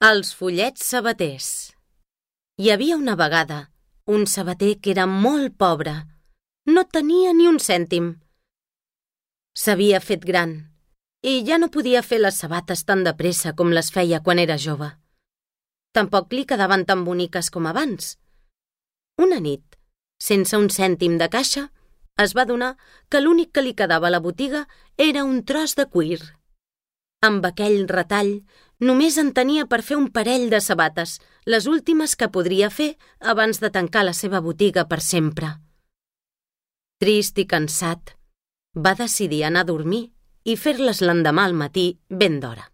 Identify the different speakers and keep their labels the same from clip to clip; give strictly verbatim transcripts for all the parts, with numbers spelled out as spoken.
Speaker 1: Els follets sabaters. Hi havia una vegada un sabater que era molt pobre. No tenia ni un cèntim. S'havia fet gran i ja no podia fer les sabates tan de pressa com les feia quan era jove. Tampoc li quedaven tan boniques com abans. Una nit, sense un cèntim de caixa, es va adonar que l'únic que li quedava a la botiga era un tros de cuir. Amb aquell retall, només en tenia per fer un parell de sabates, les últimes que podria fer abans de tancar la seva botiga per sempre. Trist i cansat, va decidir anar a dormir i fer-les l'endemà al matí ben d'hora.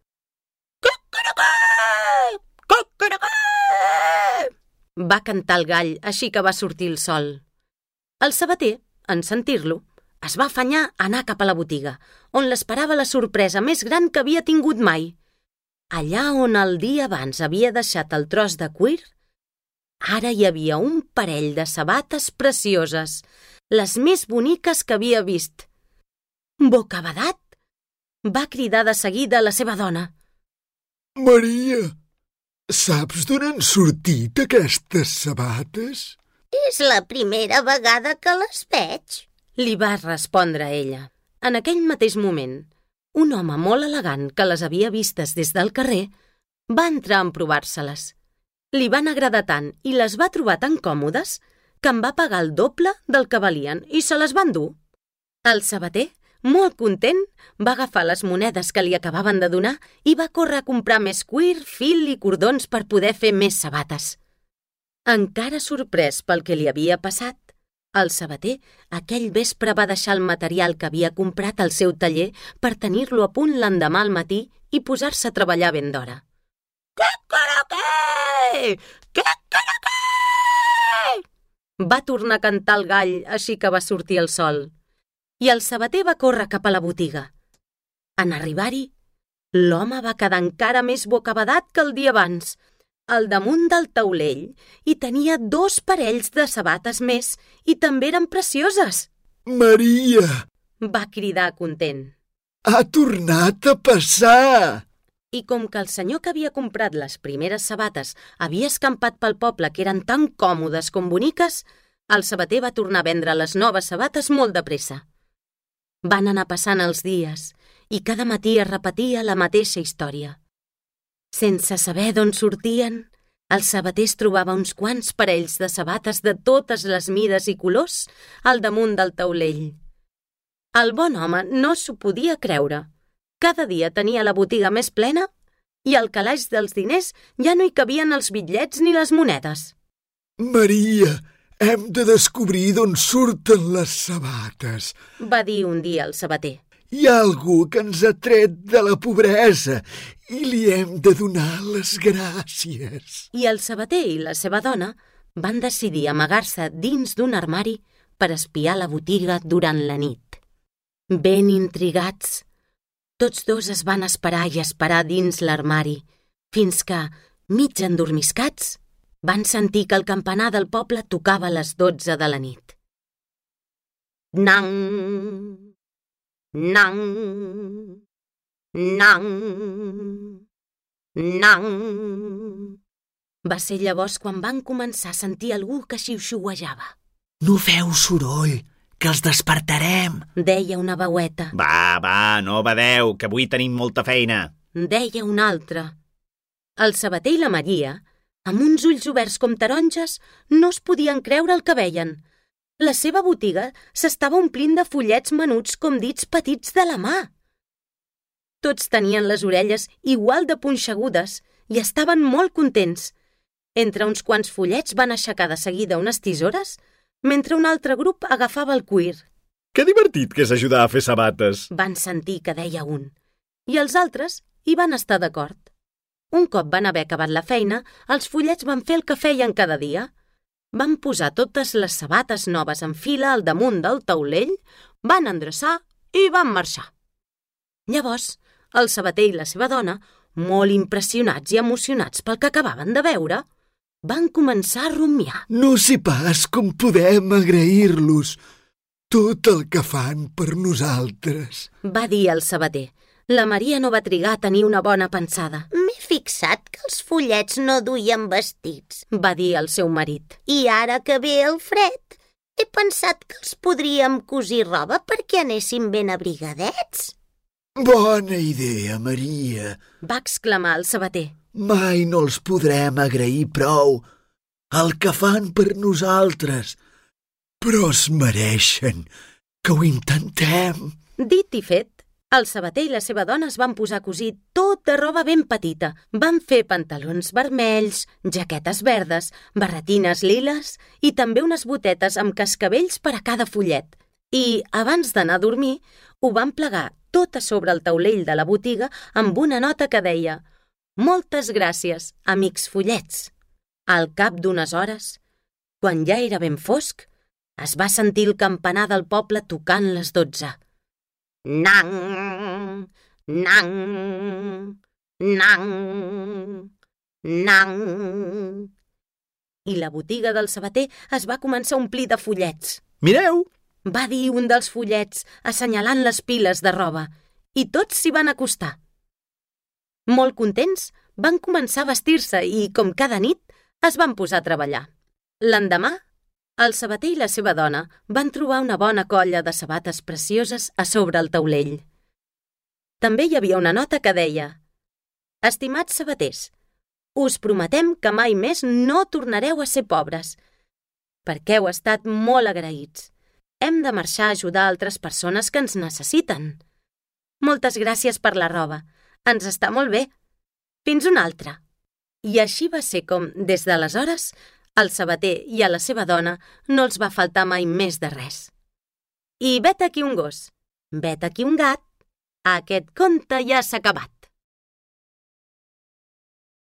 Speaker 1: Cucuracà! Cucuracà! Va cantar el gall així que va sortir el sol. El sabater, en sentir-lo, es va afanyar a anar cap a la botiga, on l'esperava la sorpresa més gran que havia tingut mai. Allà on el dia abans havia deixat el tros de cuir, ara hi havia un parell de sabates precioses, les més boniques que havia vist. Bocabadat! Va cridar de seguida a la seva dona.
Speaker 2: Maria, saps d'on han sortit aquestes sabates?
Speaker 3: És la primera vegada que les veig,
Speaker 1: li va respondre ella. En aquell mateix moment, un home molt elegant que les havia vistes des del carrer va entrar a provar-se-les. Li van agradar tant i les va trobar tan còmodes que en va pagar el doble del que valien i se les van dur. El sabater, molt content, va agafar les monedes que li acabaven de donar i va córrer a comprar més cuir, fil i cordons per poder fer més sabates. Encara sorprès pel que li havia passat, el sabater aquell vespre va deixar el material que havia comprat al seu taller per tenir-lo a punt l'endemà al matí i posar-se a treballar ben d'hora. Cacaraqué! Cacaraqué! Va tornar a cantar el gall així que va sortir el sol. I el sabater va córrer cap a la botiga. En arribar-hi, l'home va quedar encara més bocabadat que el dia abans. Al damunt del taulell hi tenia dos parells de sabates més i també eren precioses.
Speaker 2: Maria!
Speaker 1: Va cridar content.
Speaker 2: Ha tornat a passar!
Speaker 1: I com que el senyor que havia comprat les primeres sabates havia escampat pel poble que eren tan còmodes com boniques, el sabater va tornar a vendre les noves sabates molt de pressa. Van anar passant els dies i cada matí es repetia la mateixa història. Sense saber d'on sortien, el sabater es trobava uns quants parells de sabates de totes les mides i colors al damunt del taulell. El bon home no s'ho podia creure. Cada dia tenia la botiga més plena i al calaix dels diners ja no hi cabien els bitllets ni les monedes.
Speaker 2: Maria, hem de descobrir d'on surten les sabates,
Speaker 1: va dir un dia el sabater.
Speaker 2: Hi ha algú que ens ha tret de la pobresa i li hem de donar les gràcies.
Speaker 1: I el sabater i la seva dona van decidir amagar-se dins d'un armari per espiar la botiga durant la nit. Ben intrigats, tots dos es van esperar i esperar dins l'armari, fins que, mig endormiscats, van sentir que el campanar del poble tocava a les dotze de la nit. Nang! Nang! Nang! Nang! Va ser llavors quan van començar a sentir algú que xiuxiuejava.
Speaker 4: No feu soroll, que els despertarem,
Speaker 1: deia una veueta.
Speaker 5: Va, va, no badeu, que avui tenim molta feina,
Speaker 1: deia una altra. El sabater i la Maria, amb uns ulls oberts com taronges, no es podien creure el que veien. La seva botiga s'estava omplint de follets menuts com dits petits de la mà. Tots tenien les orelles igual de punxegudes i estaven molt contents. Entre uns quants follets van aixecar de seguida unes tisores, mentre un altre grup agafava el cuir.
Speaker 5: Que divertit que és ajudar a fer sabates,
Speaker 1: van sentir que deia un, i els altres hi van estar d'acord. Un cop van haver acabat la feina, els follets van fer el que feien cada dia. Van posar totes les sabates noves en fila al damunt del taulell, van endreçar i van marxar. Llavors, el sabater i la seva dona, molt impressionats i emocionats pel que acabaven de veure, van començar a rumiar.
Speaker 2: No sé pas com podem agrair-los tot el que fan per nosaltres,
Speaker 1: va dir el sabater, La Maria no va trigar a tenir una bona pensada.
Speaker 3: M'he fixat que els follets no duien vestits,
Speaker 1: va dir el seu marit.
Speaker 3: I ara que ve el fred, he pensat que els podríem cosir roba perquè anéssim ben abrigadets.
Speaker 2: Bona idea, Maria,
Speaker 1: va exclamar el sabater.
Speaker 2: Mai no els podrem agrair prou el que fan per nosaltres, però es mereixen que ho intentem.
Speaker 1: Dit i fet, el sabater i la seva dona es van posar a cosir tota roba ben petita. Van fer pantalons vermells, jaquetes verdes, barretines liles i també unes botetes amb cascavells per a cada follet. I, abans d'anar a dormir, ho van plegar tot a sobre el taulell de la botiga amb una nota que deia «Moltes gràcies, amics follets». Al cap d'unes hores, quan ja era ben fosc, es va sentir el campanar del poble tocant les dotze. Nang, nang, nang, nang. I la botiga del sabater es va començar a omplir de follets.
Speaker 5: Mireu!
Speaker 1: Va dir un dels follets, assenyalant les piles de roba, i tots s'hi van acostar. Molt contents, van començar a vestir-se i, com cada nit, es van posar a treballar. L'endemà, el sabater i la seva dona van trobar una bona colla de sabates precioses a sobre el taulell. També hi havia una nota que deia «Estimats sabaters, us prometem que mai més no tornareu a ser pobres, perquè heu estat molt agraïts. Hem de marxar a ajudar altres persones que ens necessiten. Moltes gràcies per la roba. Ens està molt bé. Fins una altra». I així va ser com, des d'aleshores, al sabater i a la seva dona no els va faltar mai més de res. I vet aquí un gos, vet aquí un gat, aquest conte ja s'ha acabat.